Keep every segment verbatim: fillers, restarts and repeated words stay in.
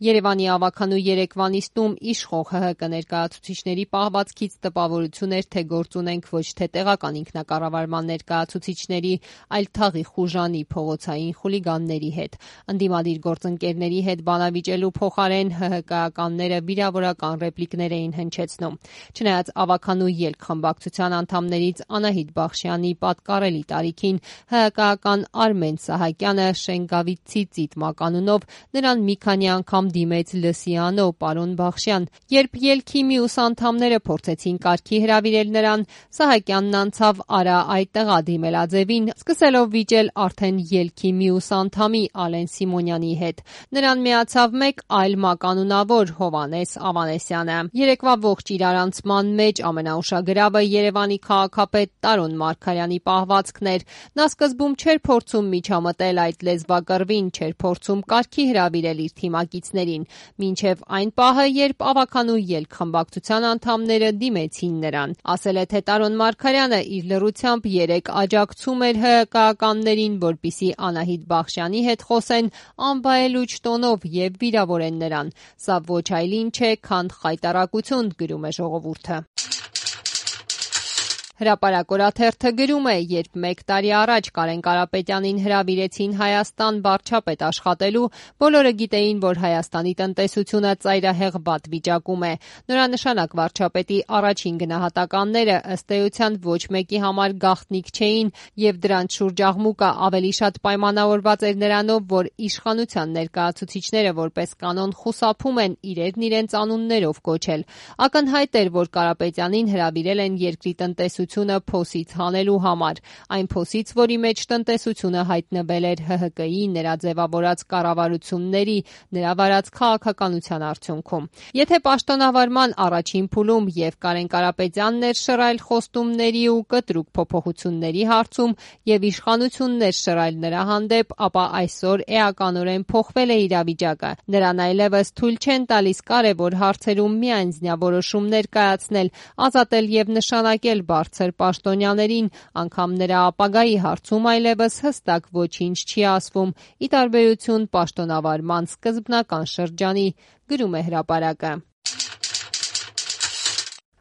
Երևանի ավագանու երեկվա նիստում իշխող ՀՀԿ ներկայացուցիչների պահվածքից տպավորություն էր, թե գործ ունենք ոչ թե տեղական ինքնակառավարման ներկայացուցիչների, այլ թաղի խուժանի, փողոցային խուլիգանների հետ։ Ընդդիմադիր գործընկերների հետ բանավիճելու փոխարեն ՀՀԿ-ականները վիրավորական ռեպլիկներ էին հնչեցնում։ Չնայած ավագանու ելք խմբակցության անդամներից Անահիտ Բախշյանի պատկառելի տարիքին, ՀՀԿ-ական Արմեն Սահակյանը Շենգավիթցի ծիտ մականունով նրան մի քանի անգամ դիմեց լսիանո, պարոն Բախշյան։ Երբ ելքի մյուս անդամները փորձեցին կարգի հրավիրել նրան, Սահակյանն անցավ արա այդտեղա դիմելաձևին, սկսելով վիճել արդեն ելքի մյուս անդամի Ալեն Սիմոնյանի հետ։ Նրան միացավ մեկ այլ մականունավոր Հովհաննես Ավանեսյանը։ Երեկվա ողջ իրարանցման մեջ ամենաուշագրավը Երևանի քաղաքապետ Տարոն Մարգարյանի պահվածքն էր։ Նա սկզբում չէր փորձում միջամտել այդ լեզվակռվին, չէր փորձում կարգի հրավիրել իր թիմակիցներին, մինչև այն պահը, երբ ավագանու ելք խմբակցության անդամները դիմեցին նրան։ Ասել է, թե Տարոն Մարգարյանը իր լռությամբ երեկ աջակցում էր ՀՀԿ-ականներին, որպեսզի Անահիտ Բախշյանի հետ խոսեն անվայելուչ տոնով և վիրավորեն նրան։ Սա ոչ այլ ինչ է, քան խայտառակություն, գրում է Ժողովուրդը։ Հրապարակ օրաթերթը գրում է. երբ մեկ տարի առաջ Կարեն Կարապետյանին հրավիրեցին Հայաստան վարչապետ աշխատելու, բոլորը գիտեին, որ Հայաստանի տնտեսությունը ծայրահեղ վատ վիճակում է։ Նորանշանակ վարչապետի առաջին գնահատականները ըստ էության ոչ մեկի համար գաղտնիք չէին, և դրանց շուրջ աղմուկը ավելի շատ պայմանավորված էր նրանով, որ իշխանության ներկայացուցիչները որպես կանոն խուսափում են իրերն իրենց անուններով կոչել։ Ակնհայտ էր, որ Կարապետյանին հրավիրել են երկրի տնտեսությունը փոսից հանելու համար, այն փոսից, որի մեջ տնտեսությունը հայտնվել էր ՀՀԿ-ի նրա ձևավորած կառավարությունների, նրա վարած քաղաքականության արդյունքում։ Եթե պաշտոնավարման առաջին փուլում և Կարեն Կարապետյանն էր շռայլ խոստումների ու կտրուկ փոփոխությունների հարցում և իշխանությունն էր շռայլ նրա հանդեպ, ապա այսօր էականորեն փոխվել է իրավիճակը։ Նրան այլևս թույլ չեն տալիս կարևոր հարցերում միանձնյա որոշումներ կայացնել, ազատել և նշանակել բարձր պաշտոնյաներին, անգամ նրա ապագայի հարցում այլևս հստակ ոչինչ չի ասվում, ի տարբերություն պաշտոնավարման սկզբնական շրջանի, գրում է Հրապարակը։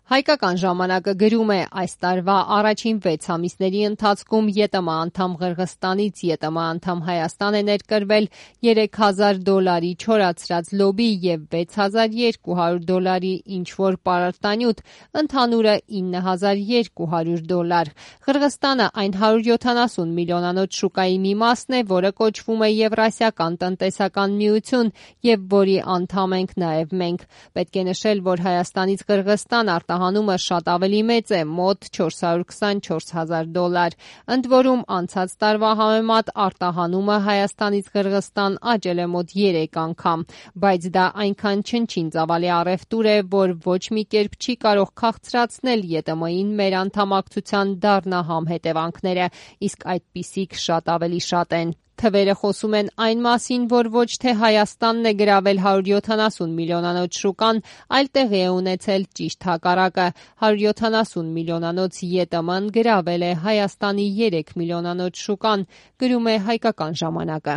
Հայկական ժամանակը գրում է. այս տարվա առաջին վեց ամիսների ընթացքում ԵՏՄ անդամ Ղրղըզստանից ԵՏՄ անդամ Հայաստան է ներկրվել երեք հազար դոլարի չորացրած լոբի և վեց հազար երկու հարյուր դոլարի ինչ-որ պարարտանյութ, ընդհանուրը ինը հազար երկու հարյուր դոլար։ Ղրղըզստանը այն հարյուր յոթանասուն միլիոնանոց շուկայի մի մասն է, որը կոչվում է Եվրասիական տնտեսական միություն և որի անդամ ենք նաև մենք։ Պետք է նշել, որ Հայաստանից Ղրղըզստան արտահանումը շատ ավելի մեծ է, մոտ չորս հարյուր քսանչորս հազար դոլար։ Ընդ որում անցած տարվա համեմատ արտահանումը Հայաստանից Ղրղըզստան աճել է մոտ երեք անգամ, բայց դա այնքան չնչին ծավալի առևտուր է, որ ոչ մի կերպ չի կարող քաղցրացնել ԵՏՄ-ին մեր անդամակցության դառնահամ հետևանքները, իսկ այդպիսիք շատ ավելի շատ են։ Թվերը խոսում են այն մասին, որ ոչ թե Հայաստանն է գրավել հարյուր յոթանասուն միլիոնանոց շուկան, այլ տեղի է ունեցել ճիշտ հակառակը։ հարյուր յոթանասուն միլիոնանոց ԵՏՄ-ն գրավել է Հայաստանի երեք միլիոնանոց շուկան, գրում է Հայկական ժամանակը։